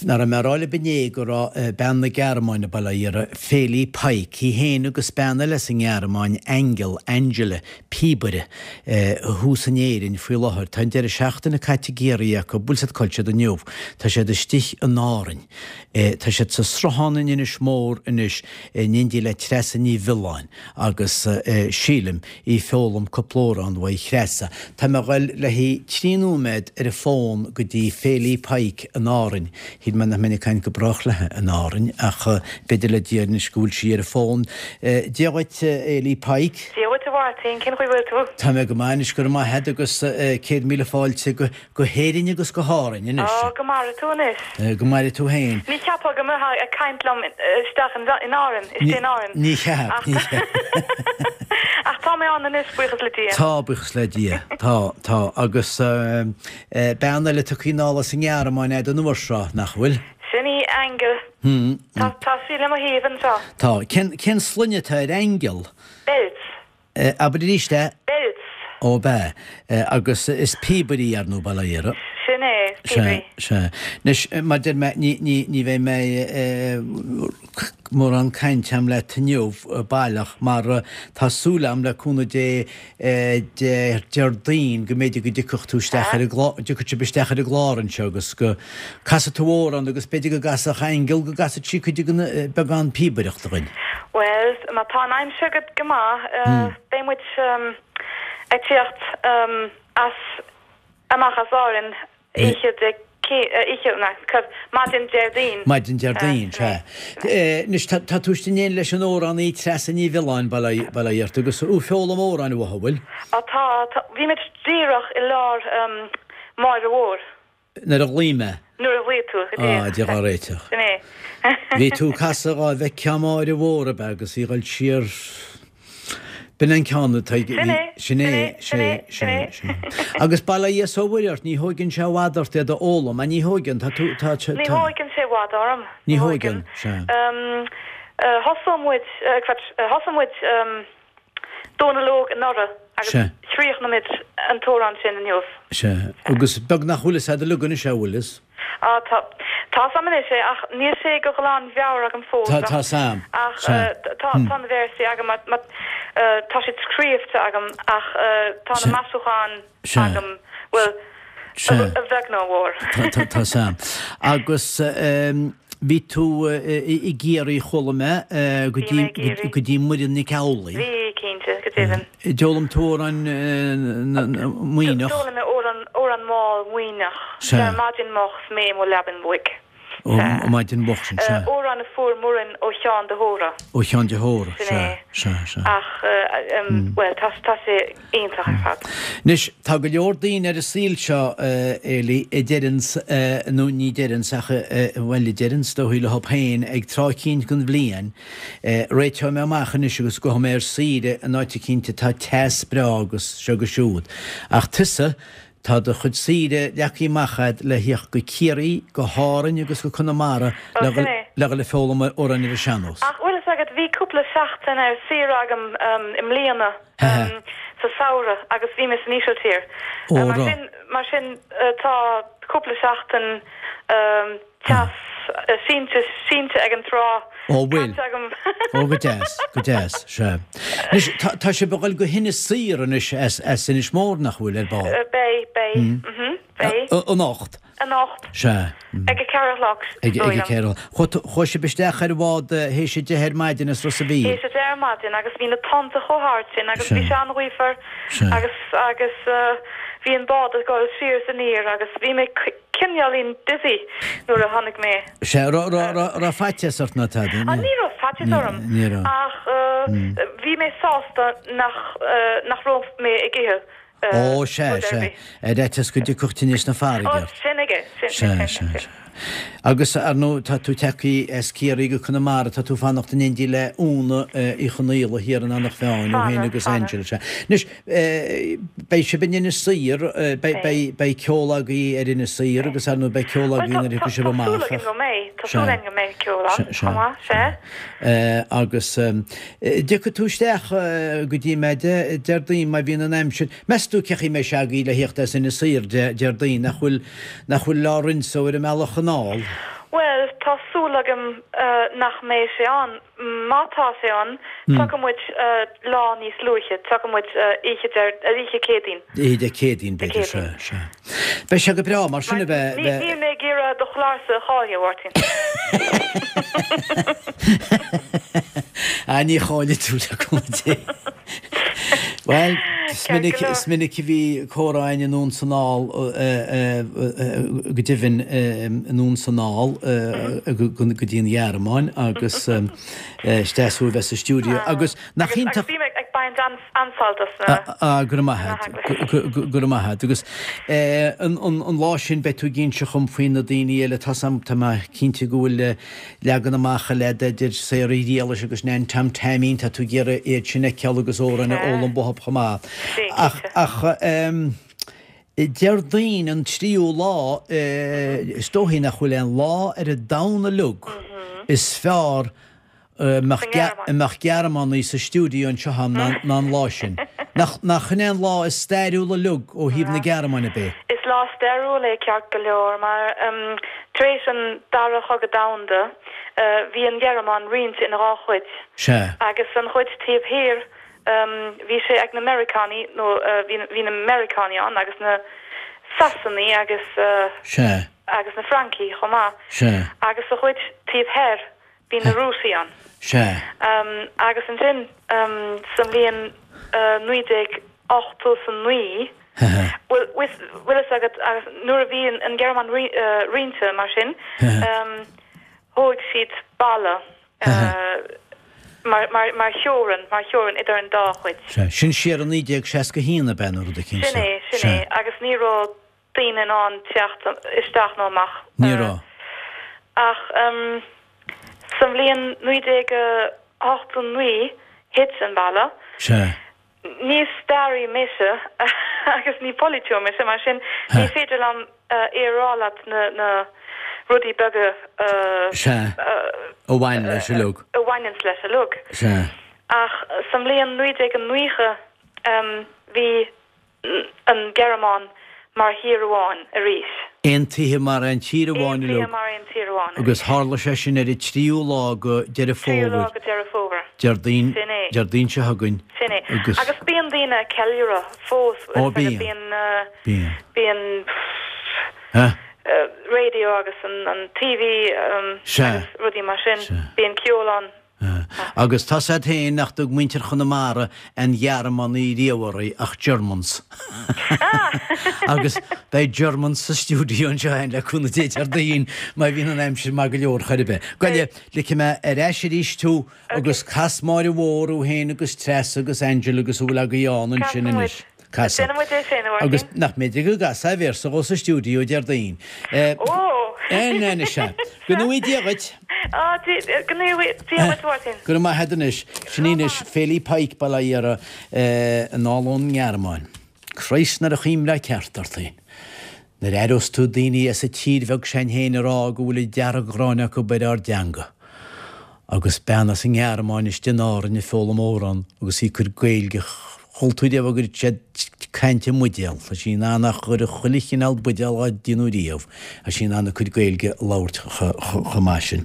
Nach raibh mé a rá libh inné go raibh bean na Gearmáine, bail ó Dhia uirthi, Feli Pike, í féin agus bean eile as an nGearmáin, Aingeal, Angela, píobaire, thuas in Éirinn faoi láthair. Tá an deireadh seachtaine caite i gCiarraí acu, bhfuil 's agat cá bhfuil siad inniu. Tá siad istigh in Árainn. Tá siad sa Sruthán in Inis Mór anois in éindí le Treasa Ní Mhiolláin agus, sílim, í foghlaim cúpla amhrán uaidh Threasa. Tá mé a ghoil le haghaidh 3 nóiméad ar an bhfón go dtí Feli Pike in Árainn. Shíl mé nach mbeinn ag caint go brách léi in Árainn ach b'fhéidir le Dia anois go bhfuil sí ar an bhfón. Dia dhuit, Feli Pike. Dia dhuit a Mháirtín, cén chaoi bhfuil tú? Tá mé go maith anois, go raibh maith agat agus 100,000 fáilte go. Go hÉirinn agus go hÁrainn anois. Á, go maire tú anois. Go maire tú féin. Ní cheapfá go mbeifeá ag caint liom isteach in Árainn, istigh in Árainn. Ní cheap, ní cheap. Ach tá mé ann anois, buíochas le Dia. Tá, buíochas le Dia. Tá, tá. Agus bean eile tugtha anall as an nGearmáin agat an uair seo, nach bhfuil? Sin í, Aingeal. Tá, tá sí le mo thaobh anseo. Tá. Cén, cén sloinne atá ar Aingeal? Belz. Abair arís é. Belz. Ó b'ea. Agus is píobaire í, ar ndóigh, bail ó Dhia uirthi. Sin é, píobairí. Sea, sea. Anois, mar deir mé, ní, ní, ní bheidh mé mórán cainte a'm leat inniu, baileach, mar tá súil a'm, le cúnamh Dé, Dé, Déardaoin, go mb'fhéidir go dtiocfadh tú isteach ar an gclár, dtiocfadh sibh isteach ar an gclár anseo agus go casfaidh tú amhrán agus b'fhéidir go gcasfadh Aingeal, go gcasfadh sí cuid den beagán píobaireachta dhuinn. Bhuel, má tá an aimsir go maith, beidh muid ag tíocht as, amach as Árainn oíche Dé, oíche, na, maidin Déardaoin. Maidin Déardaoin, sea. Anois, tá tú istigh in éindí leis an amhránaí Treasa Ní Mhiolláin, bail ó Dhia ort, agus tú ag foghlaim amhráin uaithi, an bhfuil? Á tá, tá, bhí muid díreach i lár Máire Mhór. Nuair a ghlaoigh mé. Nuair a ghlaoigh tú, go díreach. Á, Dia dhá réiteach. Sin é. Bhí tú ag casadh dhá bhfeictheá Máire Mhór ab ea agus í dhul siar. B'in an ceann atá ag. Sin é. Sin é, sin é, sin é, sin é. Agus bail ó Dhia is ó Mhuire ort, ní thóigeann sé i bhfad ort iad a fhoghlaim, ní thóigeann, tá tú, tá, tá. Ní thóigeann sé i bhfad orm. Ní thóigeann, sea. Thosaigh muid, thosaigh muid, Dónal Óg anuraidh agus Sea. chríochnaigh muid an t-amhrán sin inniu. Sea. Agus beag nach bhfuil fhios a'd uilig anois é, bhfuil fhios? Á, tá. Tá 'fhios a'm anois é ach níl sé go glanmheabhair agam fós Tá, tá 'fhios a'm. ach Sea. tá, tá na véarsaí agam, má, tá siad scríobhta agam ach tá na Sea. maisiúcháin Sea. agam, bhuel, Sea. a bheag nó a mhór. Tá, tá 'fhios a'm. Agus bhí tú i gCiarraí, chuala mé, go Bhí dtí, mé i gCiarraí. go dtí Muireann Nic Amhlaoibh. Bhí, cinnte, go deimhin. D'fhoghlaim tú amhrán Muimhneach? D'fhoghlaim mé amhrán, amhrán mall Muimhneach. Sea. Dar maidin moch 's mé i mo leabainn bhoig. Ó, maidin mhoch sin, sea. Amhrán a fuair Muireann ó Sheán de hÓra. Ó Sheán de hÓra, Sin sea, é. sea, sea. Ach, bhuel, tá, tá sé iontach ar fad. Anois, tá go leor daoine ar an saol seo, Feli, a deireanns, nó ní deireanns ach, bhuel, a deireanns dóigh leo féin ag tráth eicínt den bhliain, réiteoidh mé amach anois agus gabhfaidh mé ar saoire in áit eicínt atá teas breá agus seo agus siúd. Ach tusa, Tá do chuid saoire leagtha amach a'd le thíocht go Ciarraí, go hÁrainn agus go Conamara Ó, le sin é. le dhul ag foghlaim amhráin ar an sean-nós. Ach bhfuil fhios agat, bhí cúpla seachtain ar saoire agam i mbliana sa samhradh agus bhí mé san Ísiltír. Ó, Mar raibh. sin, mar sin tá cúpla seachtain teas sínte, sínte ag an trá Ó, bhfuil. caite agam. Ó, go deas, go deas, sea. Anois, tá, tá sibh ag dul go hInis Oírr anois as, as Inis Mór, nach bhfuil, ar ball? Beidh, beidh, mhm, beidh. Anocht? Anocht. Sea. Ag a ceathair a chlog, Ag, is dóigh ag a liom. ceathair a chlog. Chuaigh tú, chuaigh sibh isteach ar an bhád théis a deich ar maidin as Ros a' Mhíl? Théis a deich ar maidin agus bhí na tonnta chomh hard sin agus bhí Sea. sé an-ghaofar Sea. agus, agus bhí an bád ag dul siar is aniar agus bhí mé cineáilín dizzy nuair a tháinig mé. Sea, raibh, raibh, raibh, raibh faitíos ort ná tada? Ah, ní raibh faitíos orm. Ní raibh. Ach bhí mé sásta nach, nach raibh mé ag ithe Ó, sea, rud ar sea. bith. Ar fhaitíos go dtiocfadh tinneas na farraige Ó, ort. sin aige, sin, sin, Sea, sin, sea, sin. sea. Agus, ar ndóigh, tá tú tagtha as Ciarraí go Conamara, tá tú fanacht in éindí le Úna Uí Chonaola thiar in Eanach Mheáin, thú féin Fanadh, agus fanadh. Angela, sea. Anois, Beidh sibh in Inis Oírr, beidh ceol agaibh ar Inis Oírr agus ar ndóigh beidh ceol agaibh nuair a thiocfaidh sibh amach. Tá súil againn go mbeidh, tá súil againn go mbeidh ceol ann chomh maith, sea. Agus dtiocfaidh tú isteach go dtí mé Déardaoin má bhíonn an aimsir, meas tú cén chaoi a mbeidh sé agaibh le thíocht as Inis Oírr Déardaoin, nach bhfuil, nach bhfuil Lourenço ar an mbealach anall? Bhuel, tá súil agam nach mbeidh sé ann. Má tá sé ann, tiocfaidh muid lá níos luaithe, tiocfaidh muid oíche Dé, oíche Céadaoin. Oíche Dé Céadaoin, b'fhéidir, sea, sea. Beidh sé go breá, mar sin a bheith, bheith. Níl mé ag iarraidh do chlársa a chailleadh, a Mháirtín. Ah, ní chaillfidh tú le cúnamh Dé. Bhuel, is minic, is minic a bhí comhrá againn anonn 's anall, go deimhin anonn 's anall go dtí an Ghearmáin agus is deas thú a bheith sa stiúideo agus nach iontach. Agus bím ag baint an-sult as na. Ah, go raibh maith agat, go raibh maith agat. Agus an lá sin beidh tú ag inse dhom faoi na daoine eile, tá tá mé cinnte go bhfuil leagan amach eile idir Sarah Ghriallais agus Nan Tom Taimín, tá tú ag iarraidh iad sin a fheiceáil agus amhráin a fhoghlaim uathub chomh maith. Ach, ach Déardaoin an tríú lá, is dóichí nach bhfuil aon lá ar an domhan uilig is fearr a mbeadh Gearmánaigh sa stiúideo anseo agam ná an lá sin. Nach in é an lá is stairiúla uilig ó thaobh na Gearmáine de? Is lá stairiúil é ceart go leor mar tar éis an Dara Chogadh Domhanda bhí an Ghearmáin roinnte ina dhá chuid. Sea. Agus an chuid taobh thiar bhí sé ag na Meiriceánaigh nó bhí na Meiriceánaigh ann agus na Sasanaigh agus Sea. agus na Francaigh chomh maith. Sea. Agus sa chuid taobh thoir Bhí na Rúisigh ann. Sea. Agus ansin sa mbliain 1989, bhfuil fhios agat, agus nuair a bhí an Ghearmáin roinnte mar sin, thóig siad balla mar theorainn, mar theorainn idir an dá chuid. Sea. Sin siar i 1961 ab ea nó rud eicínt? Sin é, sin é. Agus ní raibh daoine in ann teacht isteach nó amach. Ní raibh. Ach sa mbliain 1989 thit an balla. Sea. Ní staraí mise agus ní polaiteoir mise, mar sin ní féidir liom é a rá leat na rudaí beaga. Sea. A bhain leis uilig. A bhaineanns leis uilig. Sea. Ach sa mbliain 1990 bhí an Ghearmáin mar thír amháin arís. Aontaithe mar aon tír amháin uilig. Aontaithe mar aon tír amháin arís. Agus tharla sé sin ar an tríú lá go Deireadh Fómhair. Tríú lá go Deireadh Fómhair. Déardaoin, Sin é. Déardaoin seo chugainn. Sin é. Agus. Agus bíonn daoine ag ceiliúradh fós. Ó bíonn. Bíonn. Bíonn. Bíonn. Heh. Radio agus an TV Sea. agus rudaí mar sin. Sea. Bíonn ceol ann. Agus tá's a'd féin nach dtug muintir Chonamara aon Ghearmánaigh riamh oraibh ach Germans. Agus beidh Germans sa stiúideo anseo againn le cúnamh Dé Déardaoin má bhíonn an aimsir maith go leor chor ar bith. Gabh i leith, ligfidh mé ar ais arís thú agus cas Máire Mhór thú féin agus Treasa agus Angela agus a bhfuil agaibh ann ansin anois. Casfaidh. Déanfaidh muid é sin, a Mháirtín. Agus nach mb'fhéidir go gcasfá véarsa dhó sa stiúideo Déardaoin. Ó! Anois sea. Go ngnóthaí Dia dhuit. Á, go ngnóthaí Dia dhuit, a Mháirtín. Go raibh maith agat anois. Sin í anois, Féilí Pike, Baile Átha Iara, anall ón nGearmáin. Christ nuair a chuimhneofá ceart ort féin. Nuair a aireos tú daoine as an tír bheag sin féin ag rá go bhfuil an dearg-ghráin acu ar ár dteanga. Agus bean as an nGearmáin istigh in Árainn ag foghlaim amhrán agus í ag cur Gaeilge chuala tú riamh go raibh siad ag caint i mbuidéal. Tá sí in ann a chur chuile chineál buidéal dhá déanamh riamh. Tá sí in ann a cuid Gaeilge a labhairt chomh maith sin.